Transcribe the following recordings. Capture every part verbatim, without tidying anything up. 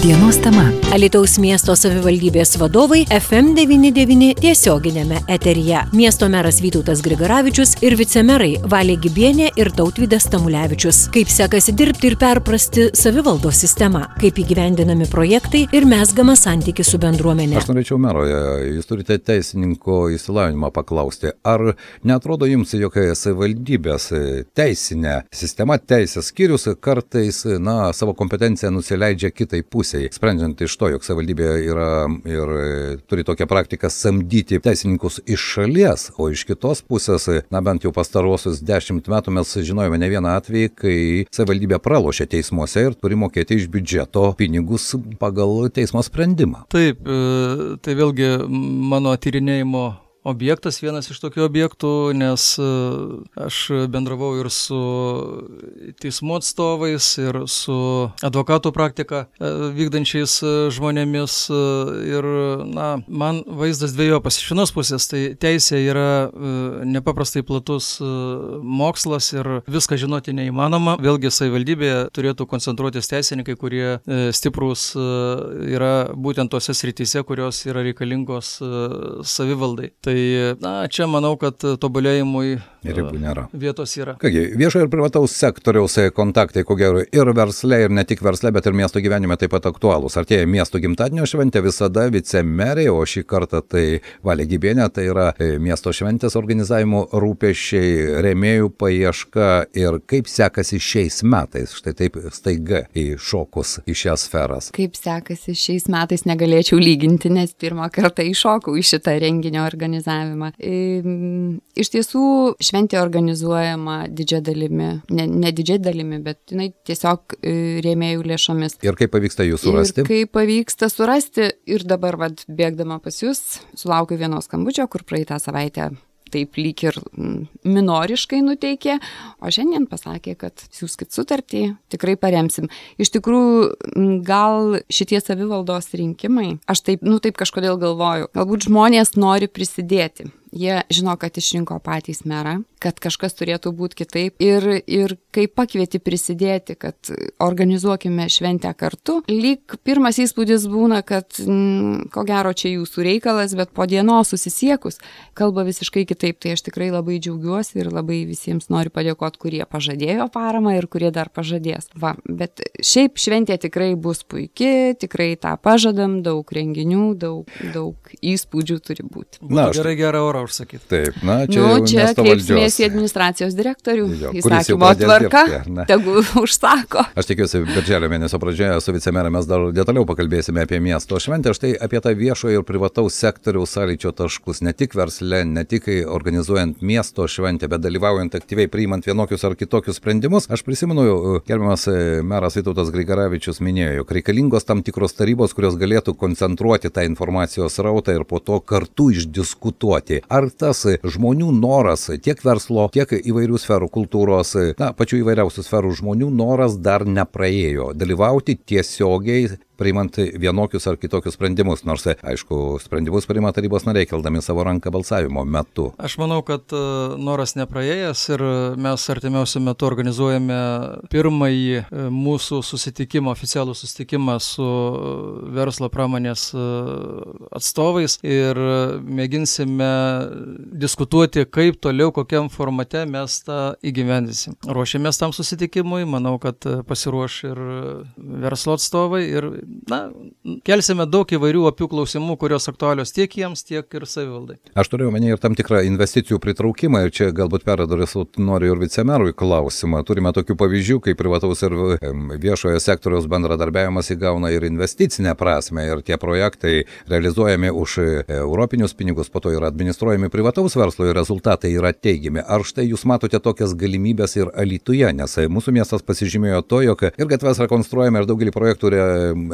Dienos tema. Alytaus miesto savivaldybės vadovai F M devyniasdešimt devyni tiesioginėme eteryje. Miesto meras Vytautas Grigaravičius ir vicemerai Valė Gibienė ir Tautvydas Tamulevičius. Kaip sekasi dirbti ir perprasti savivaldos sistemą, kaip įgyvendinami projektai ir mezgamas santykis su bendruomenė. Aš norėčiau meroje, jūs turite teisininko išsilavinimą paklausti, ar neatrodo jums, jog savivaldybės teisinė sistema, teisės skyrius kartais, na, savo kompetenciją nusileidžia kitai pusei, sprendžiant iš to, jog savivaldybė yra ir turi tokią praktiką samdyti teisininkus iš šalies, o iš kitos pusės, na bent jau pastarosius dešimt metų mes žinojome ne vieną atvejį, kai savivaldybė pralošė teismuose ir turi mokėti iš biudžeto pinigus pagal teismo sprendimą. Taip, tai vėlgi mano tyrinėjimo objektas, vienas iš tokių objektų, nes aš bendravau ir su teismų atstovais, ir su advokatų praktika vykdančiais žmonėmis ir, na, man vaizdas dvejopas. Iš vienos pusės, tai teisė yra nepaprastai platus mokslas ir viską žinoti neįmanoma. Vėlgi savivaldybėje turėtų koncentruotis teisininkai, kurie stiprūs yra būtent tose srityse, kurios yra reikalingos savivaldai. Tai na, čia manau, kad tobulėjimui ribų nėra. Vietos yra. Kągi, viešo ir privataus sektoriaus kontaktai, ko gero, ir versle, ir ne tik versle, bet ir miesto gyvenime taip pat aktualūs. Artėja miesto gimtadienio šventė, visada vicemerė, o šį kartą tai Valė Gibienė, tai yra miesto šventės organizavimo rūpesčiai, rėmėjų paieška ir kaip sekasi šiais metais, štai taip staiga įšokus į šias sferas. Kaip sekasi šiais metais negalėčiau lyginti, nes pirmą kartą įšokau į šitą renginio organizavimą. Iš tiesų, šventė organizuojama didžia dalimi, ne, ne didžia dalimi, bet jinai tiesiog rėmėjų lėšomis. Ir kaip pavyksta jų surasti? Ir kaip pavyksta surasti, ir dabar, vad, bėgdama pas jūs, sulaukiu vienos skambučio, kur praeitą savaitę taip lyg ir minoriškai nuteikė, o šiandien pasakė, kad siųskit sutartį, tikrai paremsim. Iš tikrųjų, gal šitie savivaldos rinkimai, aš taip, nu taip kažkodėl galvoju, galbūt žmonės nori prisidėti. Jie žino, kad išrinko patys merą, kad kažkas turėtų būti kitaip ir, ir kai pakvieti prisidėti, kad organizuokime šventę kartu, lyg pirmas įspūdis būna, kad m, ko gero čia jūsų reikalas, bet po dienos susisiekus kalba visiškai kitaip. Tai aš tikrai labai džiaugiuosi ir labai visiems noriu padėkoti, kurie pažadėjo paramą ir kurie dar pažadės. Va, bet šiaip šventė tikrai bus puiki, tikrai tą pažadam, daug renginių, daug, daug įspūdžių turi būti. Na, gerai, gerą orą užsakyti. Taip, na, čia nu, jau čia miesto valdžios. Kreipsimės į administracijos direktorių, Jo, įsakymo tvarka, tegu užsako. Aš tikiuosi, birželio mėnesio pradžioje su vicemerė mes dar detaliau pakalbėsime apie miesto šventę, štai apie tą viešojo ir privataus sektoriaus sąlyčio taškus, ne tik versle, ne tik organizuojant miesto šventę, bet dalyvaujant aktyviai priimant vienokius ar kitokius sprendimus. Aš prisimenu, gerbiamas meras Vytautas Grigaravičius minėjo, jog reikalingos tam tikros tarybos, kurios galėtų koncentruoti tą informacijos srautą ir po to kartu išdiskutuoti. Ar tas žmonių noras, tiek verslo, tiek įvairių sferų kultūros, na, pačių įvairiausių sferų žmonių noras dar nepraėjo dalyvauti tiesiogiai priimant vienokius ar kitokius sprendimus, nors, aišku, sprendimus priima tarybos nariai, keldami savo ranką balsavimo metu. Aš manau, kad noras nepraėjęs ir mes artimiausiu metu organizuojame pirmąjį mūsų susitikimą, oficialų susitikimą su verslo pramonės atstovais ir mėginsime diskutuoti, kaip toliau, kokiam formate mes tą įgyvendysim. Ruošiamės tam susitikimui, manau, kad pasiruoš ir verslo atstovai ir na, kelsime daug įvairių opių klausimų, kurios aktualios tiek jiems, tiek ir savivaldai. Aš turiu omeny ir tam tikrą investicijų pritraukimą ir čia galbūt peradresu noriu ir vicemerui klausimą. Turime tokių pavyzdžių, kai privataus ir viešojo sektoriaus bendradarbiavimas įgauna ir investicinę prasme ir tie projektai realizuojami už europinius pinigus, po to yra administruojami privataus verslo ir rezultatai yra teigiami. Ar štai jūs matote tokias galimybės ir Alytuje, nes mūsų miestas pasižymėjo to, jog ir gatves rekonstruojame ir daugelį projektų re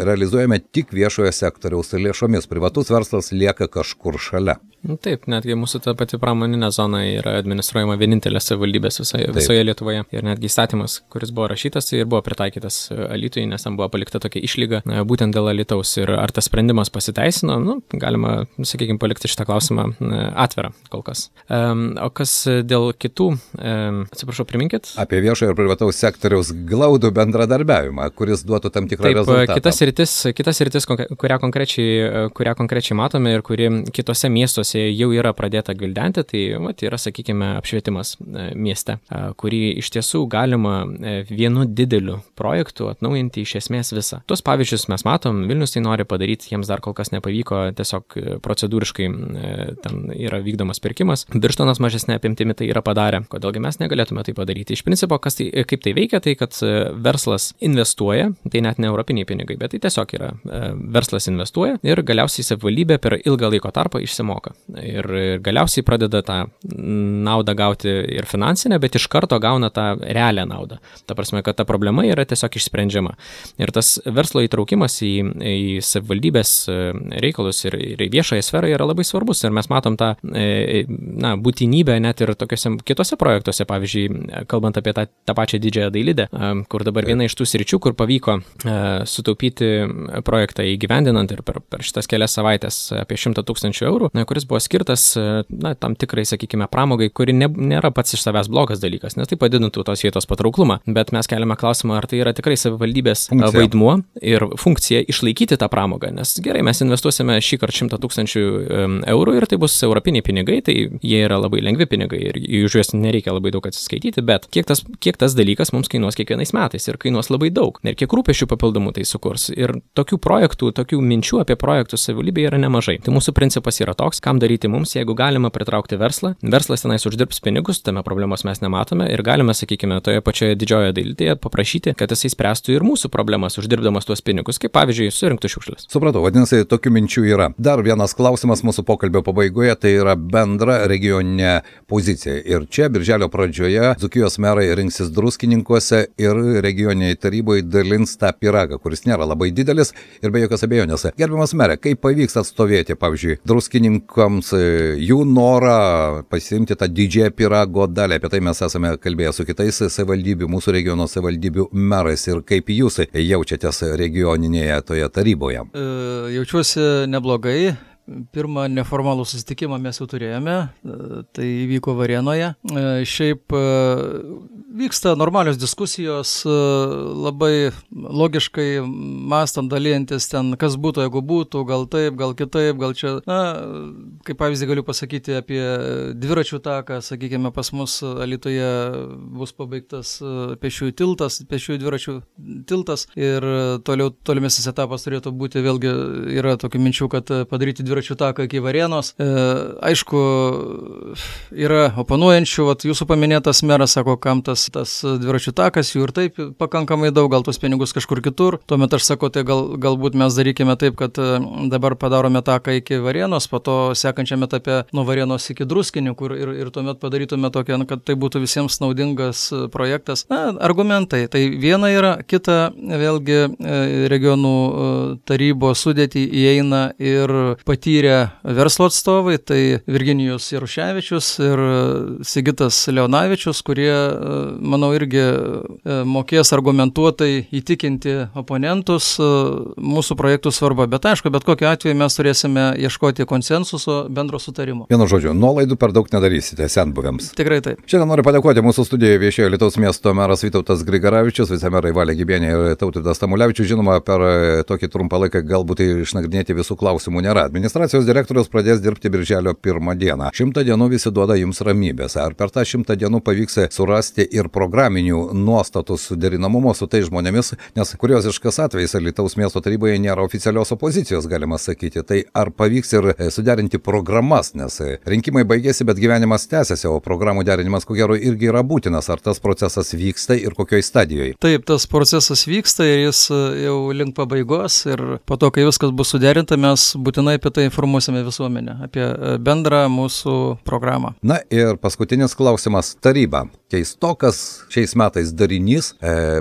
realizuojame tik viešojo sektoriaus lėšomis. Privatus verslas lieka kažkur šalia. Taip, netgi mūsų ta pati pramoninė zona yra administruojama vienintelė savivaldybės visoje, visoje Lietuvoje. Ir netgi įstatymas, kuris buvo rašytas, ir buvo pritaikytas Alytui, nes tam buvo palikta tokia išlyga būtent dėl Alytaus. Ir ar tas sprendimas pasiteisino, nu, galima, sakykime, palikti šitą klausimą atvirą kol kas. O kas dėl kitų, atsiprašau, priminkit? Apie viešojo ir privataus sektoriaus glaudų bendradarbiavimą, kuris duotų tam tikrą Taip, rezultatą. Kitas sritis, kita sritis, kurią konkrečiai, kurią konkrečiai matome ir kuri kitose miestuose jau yra pradėta gvildenti, tai vat, yra, sakykime, apšvietimas mieste, kurį iš tiesų galima vienu dideliu projektu atnaujinti iš esmės visą. Tuos pavyzdžius mes matom, Vilnius tai nori padaryti, jiems dar kol kas nepavyko, tiesiog procedūriškai ten yra vykdomas pirkimas. Birštonas mažesnė apimtimi tai yra padarę. Kodėlgi mes negalėtume tai padaryti? Iš principo, kas tai, kaip tai veikia, tai kad verslas investuoja, tai net ne europiniai pinigai, bet tai tiesiog yra verslas investuoja ir galiausiai savivaldybė per ilgą laiko tarpą išsimoka. Ir galiausiai pradeda tą naudą gauti ir finansinę, bet iš karto gauna tą realią naudą. Ta prasme, kad ta problema yra tiesiog išsprendžiama. Ir tas verslo įtraukimas į, į savivaldybės reikalus ir, ir į viešąją sferą yra labai svarbus. Ir mes matom tą na, būtinybę net ir tokiuose kitose projektuose, pavyzdžiui, kalbant apie tą, tą pačią Didžiąją Dailidę, kur dabar viena iš tų sričių, kur pavyko sutaupyti projektą įgyvendinant ir per, per šitas kelias savaitės apie šimtą tūkstančių eurų, kuris buvo skirtas na, tam tikrai, sakykime, pramogai, kuri ne, nėra pats iš savęs blogas dalykas, nes tai padidintų tos vietos patrauklumą. Bet mes keliame klausimą, ar tai yra tikrai savivaldybės funkcija. Vaidmuo ir funkcija išlaikyti tą pramogą, nes gerai, mes investuosime šį kartą šimtą tūkstančių eurų ir tai bus europiniai pinigai, tai jie yra labai lengvi pinigai ir už juos nereikia labai daug atsiskaityti, bet kiek tas, kiek tas dalykas mums kainuos kiekvienais metais ir kainuos labai daug. Ir kiek rūpesčių papildomų tai sukurs. Ir tokių projektų, tokių minčių apie projektus savivaldybėje yra nemažai. Tai mūsų principas yra toks, kam daryti mums, jeigu galima pritraukti verslą. Verslas tenais uždirbs pinigus, tame problemos mes nematome ir galime, sakykime, toje pačioje Didžiojoje Dailidėje paprašyti, kad jisai spręstų ir mūsų problemas, uždirbdamas tuos pinigus, kaip pavyzdžiui, surinktų šiukšles. Supratau, vadinasi, tokių minčių yra. Dar vienas klausimas mūsų pokalbio pabaigoje, tai yra bendra regioninė pozicija. Ir čia birželio pradžioje Dzūkijos merai rinksis Druskininkuose ir regioniniai taryboje dalins tą pyragą, kuris nėra labai didelis ir be jokios abejonės. Gerbiamas merė, kaip pavyks atstovėti, pavyzdžiui, druskininkams jų norą pasiimti tą didžiąją pyrago dalį? Apie tai mes esame kalbėję su kitais savivaldybių, mūsų regiono savivaldybių merais ir kaip jūs jaučiatės regioninėje toje taryboje? E, jaučiuosi neblogai. Pirmą neformalų susitikimą mes jau turėjome, tai įvyko Varėnoje. Šiaip vyksta normalios diskusijos, labai logiškai mąstant, dalyjantis ten, kas būtų, jeigu būtų, gal taip, gal kitaip, gal čia, na, kaip pavyzdį galiu pasakyti apie dviračių taką, sakykime, pas mus Alytuje bus pabaigtas pėsčiųjų tiltas, pėsčiųjų dviračių tiltas ir toliau, tolimesnis etapas turėtų būti, vėlgi yra tokių minčių, kad padaryti dviračių taką iki Varėnos. E, aišku, yra oponuojančių, vat, jūsų paminėtas meras sako, kam tas, tas dviračių takas, jų ir taip pakankamai daug, gal tos pinigus kažkur kitur. Tuomet aš sakau, tai gal, galbūt mes darykime taip, kad dabar padarome taką iki Varėnos, po to sekančiame etape nuo Varėnos iki Druskinių, kur ir, ir tuomet padarytume tokią, kad tai būtų visiems naudingas projektas. Na, argumentai. Tai viena yra, kita vėlgi regionų tarybos sudėtį įeina ir patyrę verslo atstovai, tai Virginijus Jaruševičius ir Sigitas Leonavičius, kurie, manau, irgi mokės argumentuotai įtikinti oponentus mūsų projektų svarbą. Bet aišku, bet kokiu atveju mes turėsime ieškoti konsensuso, bendro sutarimo. Vienu žodžiu, nuolaidų per daug nedarysite senbuviams. Tikrai taip. Šiandien noriu padėkoti mūsų studijoje viešėjo Alytaus miesto meras Vytautas Grigaravičius, vicemerai Valė Gibienė ir Tautvydas Tamulevičius. Žinoma, per tokį trumpą laiką galbūt išnagrinėti visų klausimų nėra. Administracijos direktorius pradės dirbti birželio pirmą dieną. Šimtą dienų visi duoda jums ramybės. Ar per tą šimtą dienų pavyks surasti ir programinių nuostatų suderinamumo su tai žmonėmis, nes kurioziškas atvejis Alytaus miesto taryboje nėra oficialios opozicijos, galima sakyti. Tai ar pavyks ir suderinti programas, nes rinkimai baigėsi, bet gyvenimas tęsiasi, o programų derinimas ko gero irgi yra būtinas. Ar tas procesas vyksta ir kokioj stadijoje? Taip, tas procesas vyksta ir jis jau link pabaigos ir po to, kai viskas bus suderinta, mes būtinai apie tai informuosime visuomenę, apie bendrą mūsų programą. Na ir paskutinis klausimas. Taryba. Keistokas šiais metais darinys,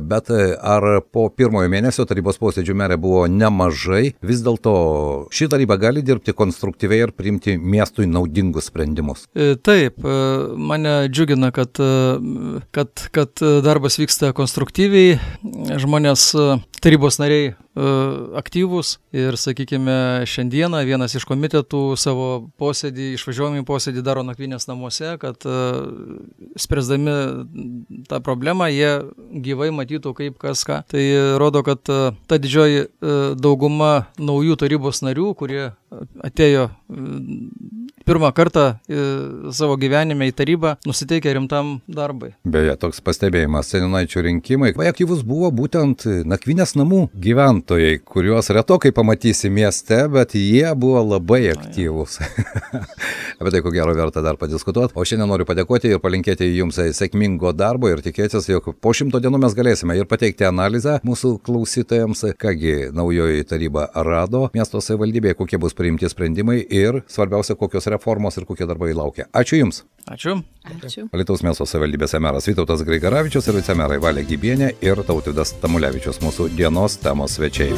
bet ar po pirmojo mėnesio tarybos posėdžių merė buvo nemažai, vis dėlto ši taryba gali dirbti konstruktyviai ir priimti miestui naudingus sprendimus? Taip, mane džiugina, kad, kad, kad darbas vyksta konstruktyviai, žmonės, tarybos nariai aktyvūs ir, sakykime, šiandieną vienas iš komitetų savo posėdį, išvažiuojamį posėdį daro nakvynės namuose, kad spręsdami tą problemą jie gyvai matytų kaip kas ką. Tai rodo, kad ta didžioji dauguma naujų tarybos narių, kurie atėjo pirmą kartą savo gyvenime į tarybą, nusiteikia rimtam darbai. Beje, toks pastebėjimas, seniūnaičių rinkimai. Vai aktyvus buvo būtent nakvynės namų gyventojai, kuriuos retokai pamatysi mieste, bet jie buvo labai aktyvūs. Apie tai, ko gero, verta dar padiskutuoti. O šiandien noriu padėkoti ir palinkėti jums sėkmingo darbo ir tikėtis, jog po šimto dienų mes galėsime ir pateikti analizę mūsų klausytojams, kągi naujoji taryba rado miesto savivaldybėje, kokie bus priimti sprendimai ir svarbiausia, kokios reformos ir kokie darbai laukia. Ačiū Jums. Ačiū. Ačiū. Alytaus miesto savivaldybės meras Vytautas Grigaravičius ir vicemerai Valė Gibienė ir Tautvydas Tamulevičius, mūsų dienos temos svečiai.